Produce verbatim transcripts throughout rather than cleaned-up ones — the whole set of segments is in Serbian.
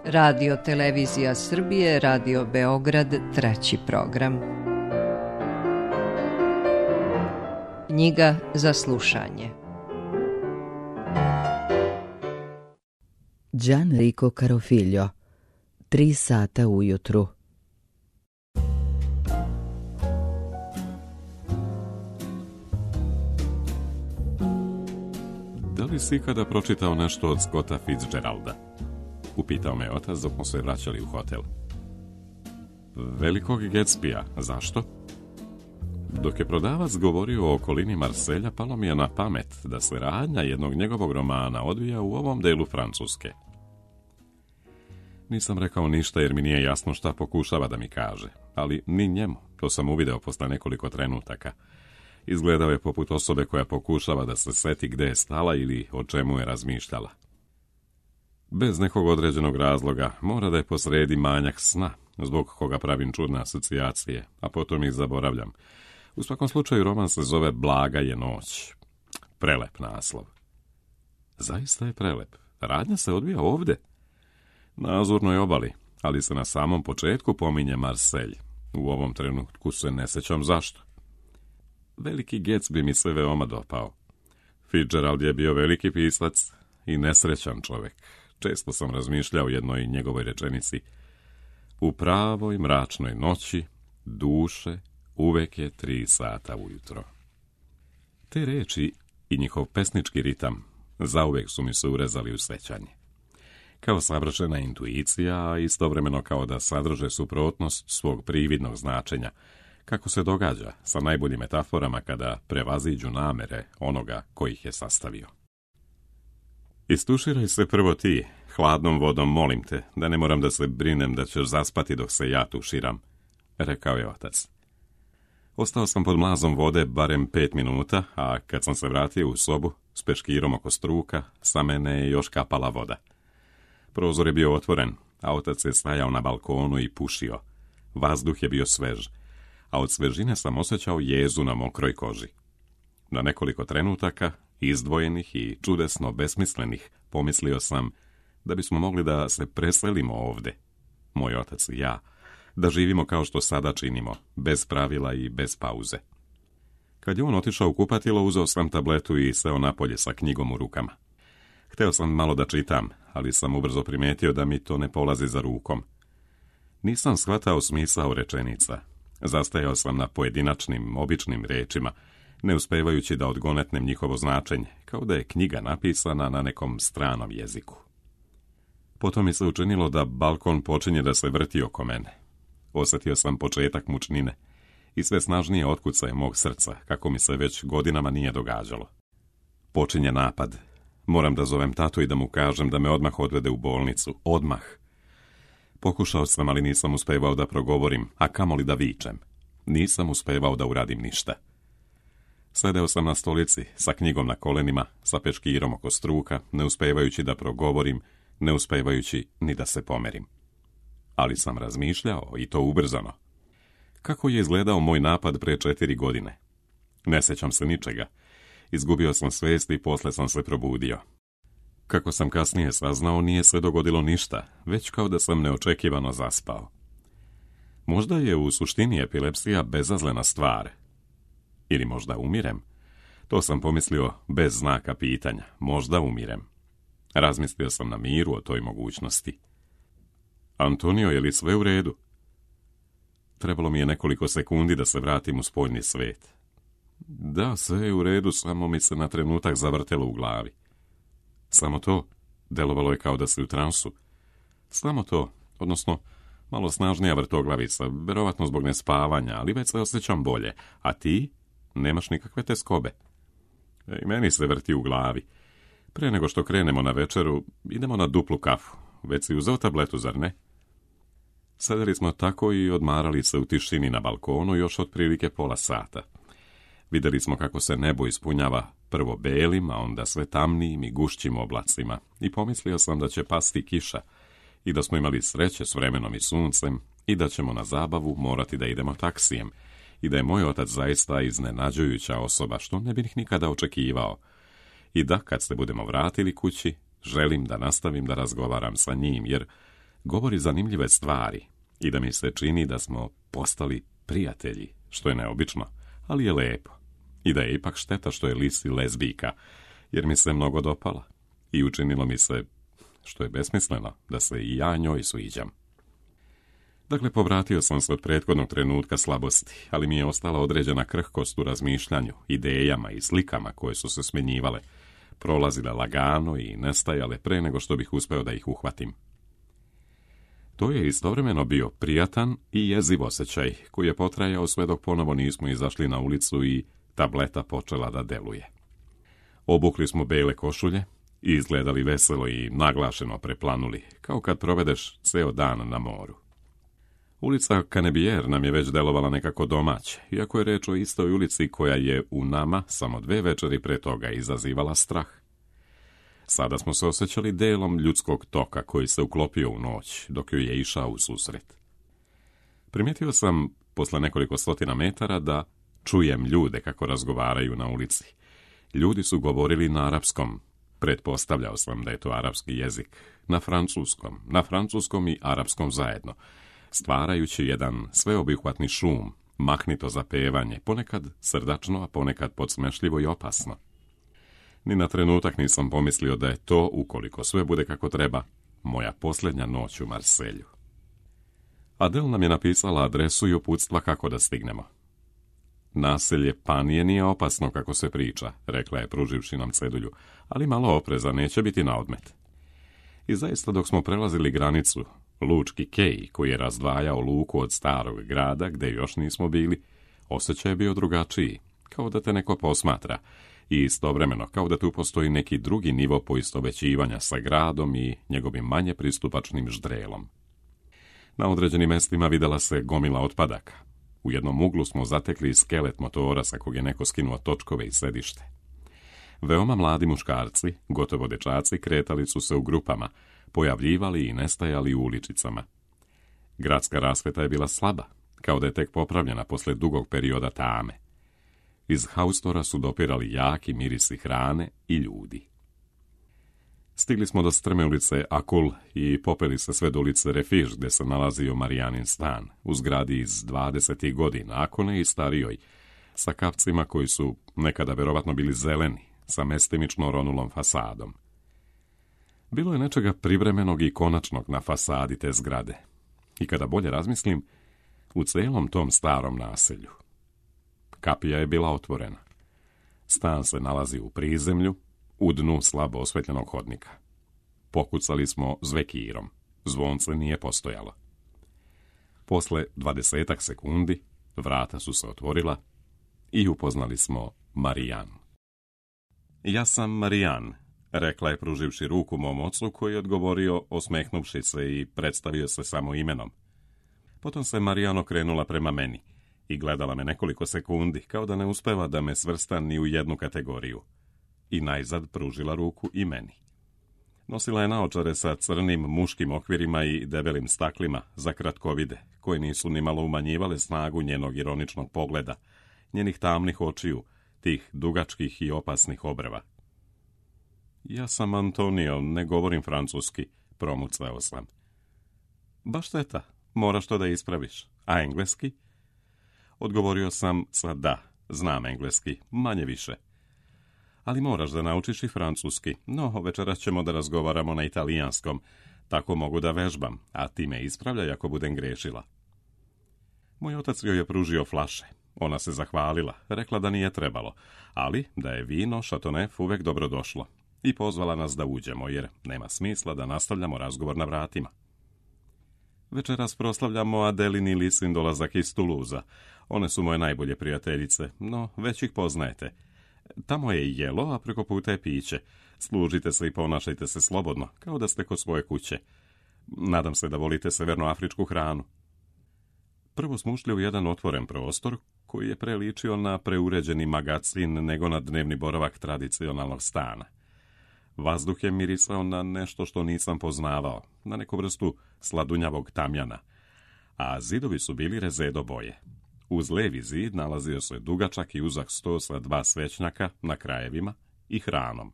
Radio Televizija Srbije, Radio Beograd, treći program. Knjiga za slušanje. Gianrico Carofiglio, Tri sata ujutru. Da li si ikada pročitao nešto od Scotta Fitzgeralda? Upitao me otac dok smo se vraćali u hotel. Velikog Gatsbya, zašto? Dok je prodavac govorio o okolini Marselja, palo mi je na pamet da se radnja jednog njegovog romana odvija u ovom delu Francuske. Nisam rekao ništa jer mi nije jasno šta pokušava da mi kaže, ali ni njemu, to sam uvideo posle nekoliko trenutaka. Izgledao je poput osobe koja pokušava da se seti gde je stala ili o čemu je razmišljala. Bez nekog određenog razloga mora da je posredi manjak sna, zbog koga pravim čudne asocijacije, a potom ih zaboravljam. U svakom slučaju roman se zove Blaga je noć. Prelep naslov. Zaista je prelep. Radnja se odvija ovde. Na Azurnoj obali, ali se na samom početku pominje Marselj. U ovom trenutku se ne sećam zašto. Veliki Gatsby mi se veoma dopao. Fitzgerald je bio veliki pisac i nesrećan čovek. Često sam razmišljao o jednoj njegovoj rečenici. U pravoj mračnoj noći, duše, uvek je tri sata ujutro. Te reči i njihov pesnički ritam zauvek su mi se urezali u sećanje. Kao savršena intuicija, a istovremeno kao da sadrže suprotnost svog prividnog značenja, kako se događa sa najboljim metaforama kada prevaziđu namere onoga koji ih je sastavio. Istuširaj se prvo ti, hladnom vodom molim te, da ne moram da se brinem da ćeš zaspati dok se ja tuširam, rekao je otac. Ostao sam pod mlazom vode barem pet minuta, a kad sam se vratio u sobu s peškirom oko struka, sa mene je još kapala voda. Prozor je bio otvoren, a otac je stajao na balkonu i pušio. Vazduh je bio svež, a od svežine sam osjećao jezu na mokroj koži. Na nekoliko trenutaka, izdvojenih i čudesno besmislenih, pomislio sam da bismo mogli da se preselimo ovde, moj otac i ja, da živimo kao što sada činimo, bez pravila i bez pauze. Kad je on otišao u kupatilo, uzeo sam tabletu i seo napolje sa knjigom u rukama. Hteo sam malo da čitam, ali sam ubrzo primetio da mi to ne polazi za rukom. Nisam shvatao smisao rečenica. Zastajao sam na pojedinačnim, običnim rečima, ne uspevajući da odgonetnem njihovo značenje, kao da je knjiga napisana na nekom stranom jeziku. Potom mi se učinilo da balkon počinje da se vrti oko mene. Osjetio sam početak mučnine i sve snažnije otkucaje mog srca, kako mi se već godinama nije događalo. Počinje napad. Moram da zovem tatu i da mu kažem da me odmah odvede u bolnicu. Odmah. Pokušao sam, ali nisam uspevao da progovorim, a kamoli da vičem. Nisam uspevao da uradim ništa. Sedeo sam na stolici, sa knjigom na kolenima, sa peškirom oko struka, ne uspevajući da progovorim, ne uspevajući ni da se pomerim. Ali sam razmišljao, i to ubrzano. Kako je izgledao moj napad pre četiri godine? Ne sećam se ničega. Izgubio sam svest i posle sam se probudio. Kako sam kasnije saznao, nije se dogodilo ništa, već kao da sam neočekivano zaspao. Možda je u suštini epilepsija bezazlena stvar. Ili možda umirem? To sam pomislio bez znaka pitanja. Možda umirem. Razmislio sam na miru o toj mogućnosti. Antonio, je li sve u redu? Trebalo mi je nekoliko sekundi da se vratim u spoljni svet. Da, sve je u redu, samo mi se na trenutak zavrtelo u glavi. Samo to, delovalo je kao da si u transu. Samo to, odnosno malo snažnija vrtoglavica, verovatno zbog nespavanja, ali već se osjećam bolje. A ti? Nemaš nikakve teskobe. I meni se vrti u glavi. Pre nego što krenemo na večeru, idemo na duplu kafu. Već si uzeo tabletu, zar ne? Sedeli smo tako i odmarali se u tišini na balkonu još otprilike pola sata. Videli smo kako se nebo ispunjava prvo belim, a onda sve tamnijim i gušćim oblacima, i pomislio sam da će pasti kiša i da smo imali sreće s vremenom i suncem i da ćemo na zabavu morati da idemo taksijem i da je moj otac zaista iznenađujuća osoba, što ne bih nikada očekivao, i da kad se budemo vratili kući, želim da nastavim da razgovaram sa njim, jer govori zanimljive stvari i da mi se čini da smo postali prijatelji, što je neobično, ali je lepo. I da je ipak šteta što je Lisi lezbijka, jer mi se mnogo dopala i učinilo mi se, što je besmisleno, da se i ja njoj sviđam. Dakle, povratio sam se od prethodnog trenutka slabosti, ali mi je ostala određena krhkost u razmišljanju, idejama i slikama koje su se smjenjivale, prolazile lagano i nestajale pre nego što bih uspeo da ih uhvatim. To je istovremeno bio prijatan i jeziv osjećaj, koji je potrajao sve dok ponovo nismo izašli na ulicu i tableta počela da deluje. Obukli smo bele košulje i izgledali veselo i naglašeno preplanuli, kao kad provedeš ceo dan na moru. Ulica Canebière nam je već delovala nekako domaće, iako je reč o istoj ulici koja je u nama samo dve večeri pre toga izazivala strah. Sada smo se osjećali delom ljudskog toka koji se uklopio u noć, dok joj je išao u susret. Primijetio sam, posle nekoliko stotina metara, da čujem ljude kako razgovaraju na ulici. Ljudi su govorili na arapskom. Pretpostavljao sam da je to arapski jezik. Na francuskom, na francuskom i arapskom zajedno, stvarajući jedan sveobuhvatni šum, mahnito zapevanje, ponekad srdačno, a ponekad podsmešljivo i opasno. Ni na trenutak nisam pomislio da je to, ukoliko sve bude kako treba, moja posljednja noć u Marselju. Adel nam je napisala adresu i uputstva kako da stignemo. Naselje Panije nije opasno kako se priča, rekla je pruživši nam cedulju, ali malo opreza, neće biti na odmet. I zaista dok smo prelazili granicu, lučki kej koji je razdvajao luku od starog grada, gde još nismo bili, osjećaj je bio drugačiji, kao da te neko posmatra, i istovremeno kao da tu postoji neki drugi nivo poistovećivanja sa gradom i njegovim manje pristupačnim ždrelom. Na određenim mestima videla se gomila otpadaka. U jednom uglu smo zatekli skelet motora sa kog je neko skinuo točkove i sedište. Veoma mladi muškarci, gotovo dečaci, kretali su se u grupama, pojavljivali i nestajali u uličicama. Gradska rasveta je bila slaba, kao da je tek popravljena posle dugog perioda tame. Iz haustora su dopirali jaki mirisi hrane i ljudi. Stigli smo do strme ulice Akul i popeli se sve do ulice Refiž, gde se nalazio Marijanin stan, u zgradi iz dvadesetih godina, ako ne i starijoj, sa kapcima koji su nekada verovatno bili zeleni, sa mestimično ronulom fasadom. Bilo je nečega privremenog i konačnog na fasadi te zgrade. I kada bolje razmislim, u celom tom starom naselju. Kapija je bila otvorena. Stan se nalazi u prizemlju, u dnu slabo osvetljenog hodnika. Pokucali smo zvekirom. Zvonce nije postojalo. Posle dvadesetak sekundi vrata su se otvorila i upoznali smo Marijan. Ja sam Marijan, rekla je pruživši ruku mom ocu, koji je odgovorio osmehnuvši se i predstavio se samo imenom. Potom se Marijan okrenula prema meni i gledala me nekoliko sekundi, kao da ne uspeva da me svrsta ni u jednu kategoriju. I najzad pružila ruku i meni. Nosila je naočare sa crnim muškim okvirima i debelim staklima za kratkovide, koje nisu ni malo umanjivale snagu njenog ironičnog pogleda, njenih tamnih očiju, tih dugačkih i opasnih obrva. Ja sam Antonio, ne govorim francuski, promucao sam. Baš šteta, moraš to da ispraviš. A engleski? Odgovorio sam sa da, znam engleski, manje više. Ali moraš da naučiš i francuski, no večeras ćemo da razgovaramo na italijanskom, tako mogu da vežbam, a ti me ispravljaj ako budem grešila. Moj otac joj je pružio flaše. Ona se zahvalila, rekla da nije trebalo, ali da je vino Chateauneuf uvek dobrodošlo i pozvala nas da uđemo, jer nema smisla da nastavljamo razgovor na vratima. Večeras proslavljamo Adelin i Lisin dolazak iz Tuluza. One su moje najbolje prijateljice, no već ih poznajete. Tamo je jelo, a preko puta je piće. Služite se i ponašajte se slobodno, kao da ste kod svoje kuće. Nadam se da volite severnoafričku hranu. Prvo smo ušli u jedan otvoren prostor, koji je preličio na preuređeni magacin nego na dnevni boravak tradicionalnog stana. Vazduh je mirisao na nešto što nisam poznavao, na neku vrstu sladunjavog tamjana, a zidovi su bili rezedo boje. Uz levi zid nalazio se dugačak i uzak sto sa dva svećnjaka na krajevima i hranom.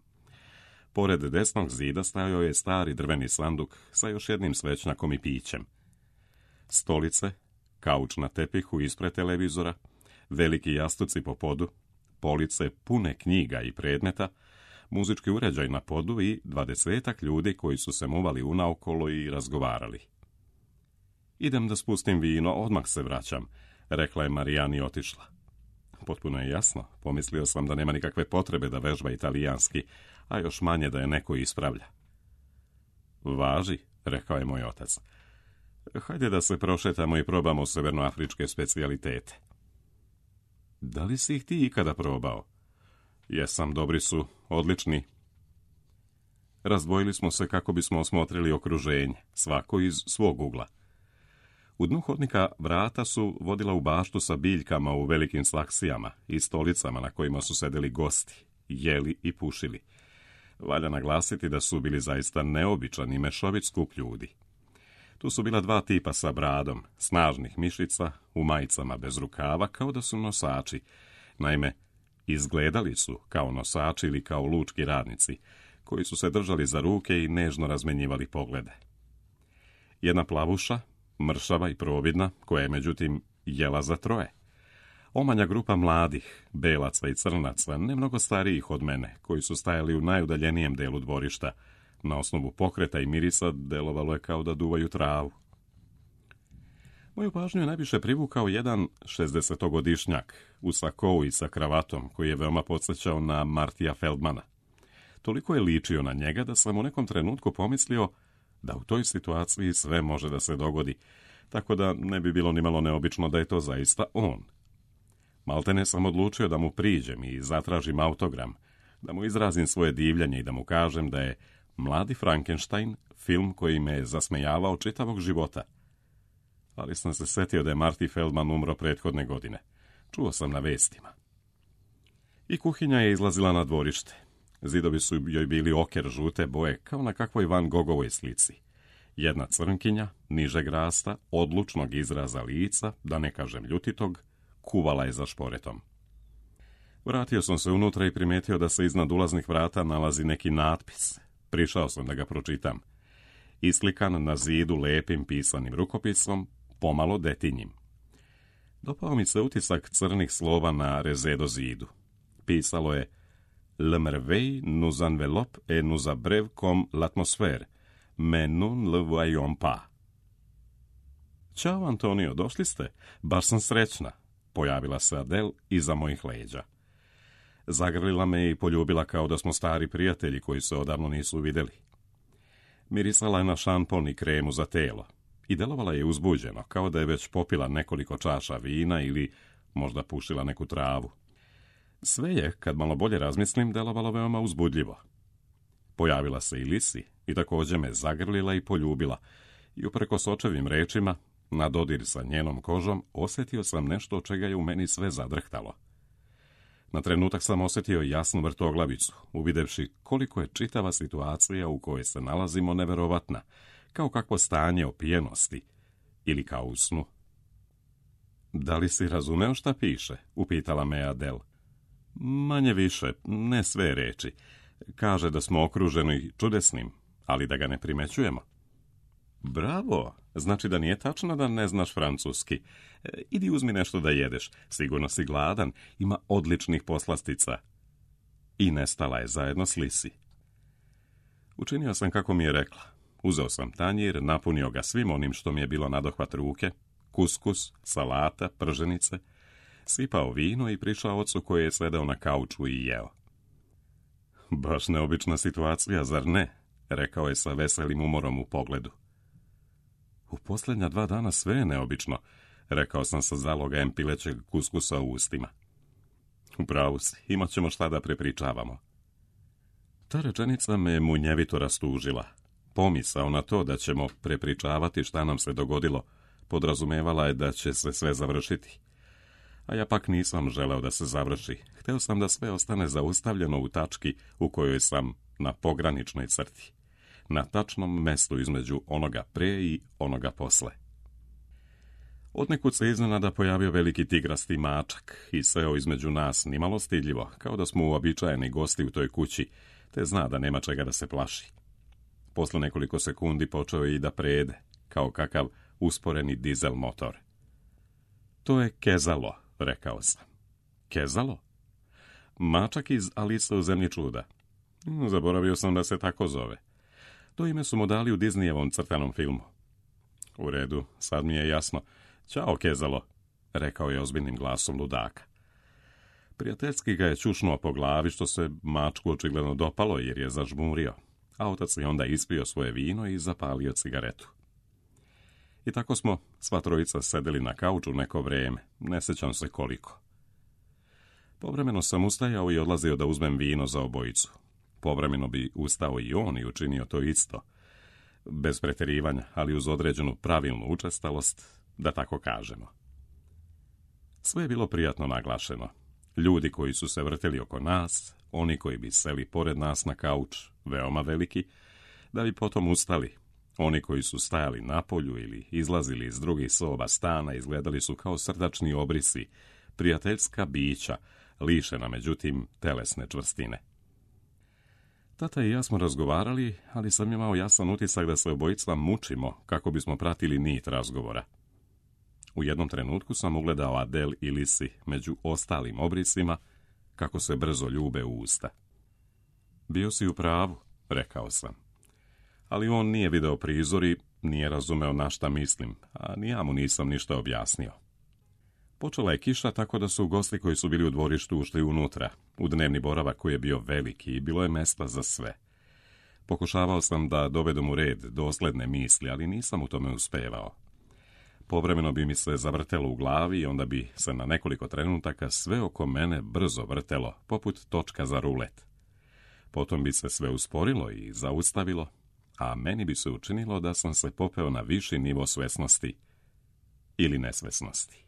Pored desnog zida stajao je stari drveni sanduk sa još jednim svećnjakom i pićem. Stolice, kauč na tepihu ispred televizora, veliki jastuci po podu, police pune knjiga i predmeta, muzički uređaj na podu i dvadesetak ljudi koji su se muvali unaokolo i razgovarali. Idem da spustim vino, odmah se vraćam, rekla je Marijan i otišla. Potpuno je jasno, pomislio sam da nema nikakve potrebe da vežba italijanski, a još manje da je neko ispravlja. Važi, rekao je moj otac. Hajde da se prošetamo i probamo severnoafričke specijalitete. Da li si ih ti ikada probao? Jesam, dobri su, odlični. Razdvojili smo se kako bismo osmotrili okruženje, svako iz svog ugla. U dnu hodnika vrata su vodila u baštu sa biljkama u velikim slaksijama i stolicama na kojima su sedeli gosti, jeli i pušili. Valja naglasiti da su bili zaista neobičan i mešovit skup ljudi. Tu su bila dva tipa sa bradom, snažnih mišica, u majicama bez rukava, kao da su nosači. Naime, izgledali su kao nosači ili kao lučki radnici, koji su se držali za ruke i nežno razmenjivali poglede. Jedna plavuša, mršava i providna, koja je međutim jela za troje. Omanja grupa mladih, belaca i crnaca, ne mnogo starijih od mene, koji su stajali u najudaljenijem delu dvorišta. Na osnovu pokreta i mirisa delovalo je kao da duvaju travu. Moju pažnju je najviše privukao jedan šezdesetogodišnjak u sakou i sa kravatom, koji je veoma podsjećao na Martija Feldmana. Toliko je ličio na njega da sam u nekom trenutku pomislio da u toj situaciji sve može da se dogodi, tako da ne bi bilo nimalo neobično da je to zaista on. Maltene sam odlučio da mu priđem i zatražim autogram, da mu izrazim svoje divljenje i da mu kažem da je Mladi Frankenstein film koji me je zasmejavao čitavog života. Ali sam se setio da je Marty Feldman umro prethodne godine. Čuo sam na vestima. I kuhinja je izlazila na dvorište. Zidovi su joj bili oker žute boje, kao na kakvoj Van Gogovoj slici. Jedna crnkinja, nižeg rasta, odlučnog izraza lica, da ne kažem ljutitog, kuvala je za šporetom. Vratio sam se unutra i primetio da se iznad ulaznih vrata nalazi neki natpis. Prišao sam da ga pročitam. Islikan na zidu lepim pisanim rukopisom, pomalo detinjim. Dopao mi se utisak crnih slova na rezedo zidu. Pisalo je: Le merveille nous enveloppe et nous abreuve comme l'atmosphère, mais nous ne le voyons pas. Ćao, Antonio, došli ste? Baš sam srećna. Pojavila se Adele iza mojih leđa. Zagrlila me i poljubila kao da smo stari prijatelji koji se odavno nisu vidjeli. Mirisala je na šampon i kremu za telo i delovala je uzbuđeno, kao da je već popila nekoliko čaša vina ili možda pušila neku travu. Sve je, kad malo bolje razmislim, delovalo veoma uzbudljivo. Pojavila se i Lisi i također me zagrlila i poljubila i uprkos očevim rečima, na dodir sa njenom kožom, osjetio sam nešto od čega je u meni sve zadrhtalo. Na trenutak sam osjetio jasnu vrtoglavicu, uvidevši koliko je čitava situacija u kojoj se nalazimo neverovatna, kao kakvo stanje opijenosti ili kao u snu. Da li si razumeo šta piše? Upitala me Adele. Manje više, ne sve reči. Kaže da smo okruženi čudesnim, ali da ga ne primećujemo. Bravo, znači da nije tačno da ne znaš francuski. E, idi uzmi nešto da jedeš, sigurno si gladan, ima odličnih poslastica. I nestala je zajedno s Lisi. Učinio sam kako mi je rekla. Uzeo sam tanjir, napunio ga svim onim što mi je bilo nadohvat ruke, kuskus, salata, prženice, sipao vino i prišao ocu koji je sedeo na kauču i jeo. Baš neobična situacija, zar ne? Rekao je sa veselim umorom u pogledu. U posljednja dva dana sve je neobično, rekao sam sa zalogajem pilećeg kuskusa u ustima. Upravo si, imat ćemo šta da prepričavamo. Ta rečenica me munjevito rastužila. Pomisao na to da ćemo prepričavati šta nam se dogodilo podrazumevala je da će se sve završiti. A ja pak nisam želeo da se završi. Hteo sam da sve ostane zaustavljeno u tački u kojoj sam na pograničnoj crti. Na tačnom mestu između onoga pre i onoga posle. Odnekud se iznenada pojavio veliki tigrasti mačak i seo između nas nimalo stidljivo, kao da smo uobičajeni gosti u toj kući, te zna da nema čega da se plaši. Posle nekoliko sekundi počeo je i da prede, kao kakav usporeni dizel motor. To je Kezalo, rekao sam. Kezalo? Mačak iz Alice u zemlji čuda. Zaboravio sam da se tako zove. To ime su mu dali u Disneyevom crtanom filmu. U redu, sad mi je jasno. Ćao, Kezalo, rekao je ozbiljnim glasom ludaka. Prijateljski ga je čušnuo po glavi, što se mačku očigledno dopalo jer je zažmurio, a otac je onda ispio svoje vino i zapalio cigaretu. I tako smo sva trojica sedeli na kauču neko vrijeme, ne sjećam se koliko. Povremeno sam ustajao i odlazio da uzmem vino za obojicu. Povremeno bi ustao i on i učinio to isto. Bez pretjerivanja, ali uz određenu pravilnu učestalost, da tako kažemo. Sve je bilo prijatno naglašeno. Ljudi koji su se vrteli oko nas, oni koji bi seli pored nas na kauč, veoma veliki, da bi potom ustali. Oni koji su stajali na polju ili izlazili iz drugih soba stana, izgledali su kao srdačni obrisi, prijateljska bića, lišena međutim telesne čvrstine. Tata i ja smo razgovarali, ali sam imao jasan utisak da se obojica mučimo kako bismo pratili nit razgovora. U jednom trenutku sam ugledao Adel i Lisi među ostalim obrisima, kako se brzo ljube u usta. Bio si u pravu, rekao sam. Ali on nije video prizor i nije razumeo na šta mislim, a ni ja mu nisam ništa objasnio. Počela je kiša, tako da su gosti koji su bili u dvorištu ušli unutra, u dnevni boravak koji je bio veliki i bilo je mesta za sve. Pokušavao sam da dovedem u red dosledne misli, ali nisam u tome uspevao. Povremeno bi mi se zavrtelo u glavi i onda bi se na nekoliko trenutaka sve oko mene brzo vrtelo, poput točka za rulet. Potom bi se sve usporilo i zaustavilo, a meni bi se učinilo da sam se popeo na viši nivo svesnosti ili nesvesnosti.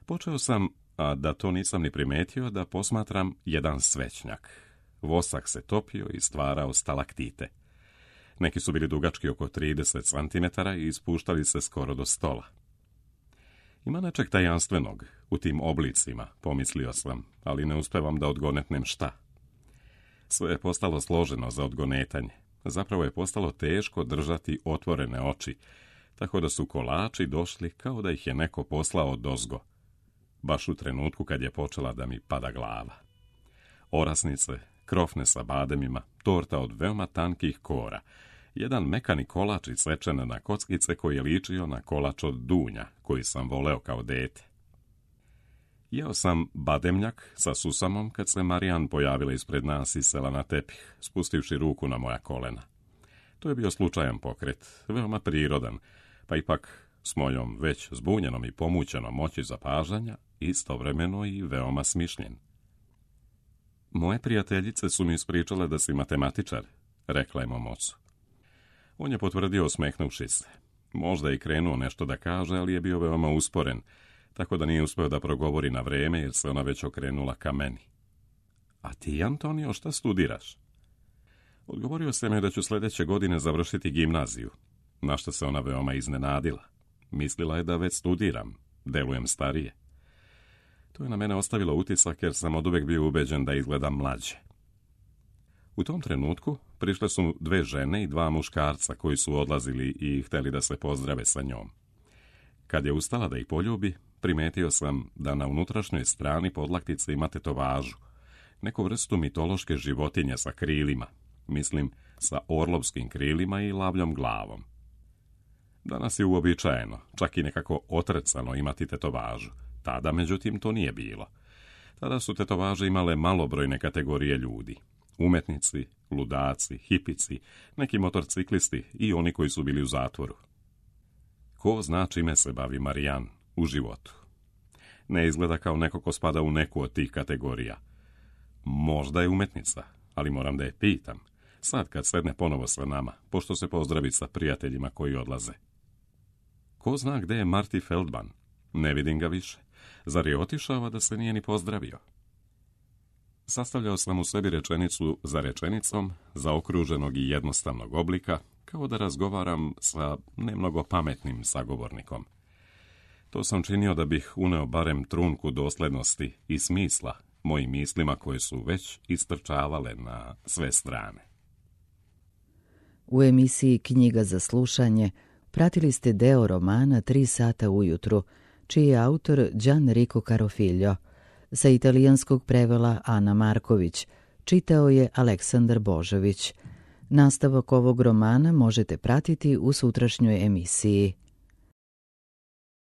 Počeo sam, a da to nisam ni primetio, da posmatram jedan svećnjak. Vosak se topio i stvarao stalaktite. Neki su bili dugački oko trideset centimetara i ispuštali se skoro do stola. Ima nečeg tajanstvenog u tim oblicima, pomislio sam, ali ne uspevam da odgonetnem šta. Sve je postalo složeno za odgonetanje. Zapravo je postalo teško držati otvorene oči, tako da su kolači došli kao da ih je neko poslao dozgo, baš u trenutku kad je počela da mi pada glava. Orasnice, krofne sa bademima, torta od veoma tankih kora, jedan mekani kolač isečen na kockice koji je ličio na kolač od dunja, koji sam voleo kao dete. Jeo sam bademnjak sa susamom kad se Marijan pojavila ispred nas i sela na tepih, spustivši ruku na moja kolena. To je bio slučajan pokret, veoma prirodan, pa ipak s mojom već zbunjenom i pomućenom moći zapažanja, istovremeno i veoma smišljen. Moje prijateljice su mi ispričale da si matematičar, rekla je mom ocu. On je potvrdio osmehnuši se. Možda je i krenuo nešto da kaže, ali je bio veoma usporen, tako da nije uspeo da progovori na vreme jer se ona već okrenula ka meni. A ti, Antonio, šta studiraš? Odgovorio sam joj da ću sljedeće godine završiti gimnaziju, na što se ona veoma iznenadila. Mislila je da već studiram, delujem starije. To je na mene ostavilo utisak jer sam oduvek bio ubeđen da izgledam mlađe. U tom trenutku prišle su dve žene i dva muškarca koji su odlazili i hteli da se pozdrave sa njom. Kad je ustala da ih poljubi, primetio sam da na unutrašnjoj strani podlaktice ima tetovažu, neku vrstu mitološke životinje sa krilima, mislim sa orlovskim krilima i lavljom glavom. Danas je uobičajeno, čak i nekako otrecano imati tetovažu. Tada, međutim, to nije bilo. Tada su tetovaže imale malobrojne kategorije ljudi. Umetnici, ludaci, hipici, neki motorciklisti i oni koji su bili u zatvoru. Ko zna čime se bavi Marijan u životu? Ne izgleda kao neko ko spada u neku od tih kategorija. Možda je umetnica, ali moram da je pitam. Sad kad sedne ponovo sa nama, pošto se pozdravi sa prijateljima koji odlaze. Ko zna gde je Marty Feldman? Ne vidim ga više. Zar je otišao da se nije ni pozdravio? Sastavljao sam u sebi rečenicu za rečenicom, zaokruženog i jednostavnog oblika, kao da razgovaram sa nemnogo pametnim sagovornikom. To sam činio da bih uneo barem trunku doslednosti i smisla mojim mislima koje su već istrčavale na sve strane. U emisiji Knjiga za slušanje pratili ste deo romana Tri sata ujutru, čiji je autor Gianrico Carofiglio. Sa italijanskog prevela Ana Marković, čitao je Aleksandar Božović. Nastavak ovog romana možete pratiti u sutrašnjoj emisiji.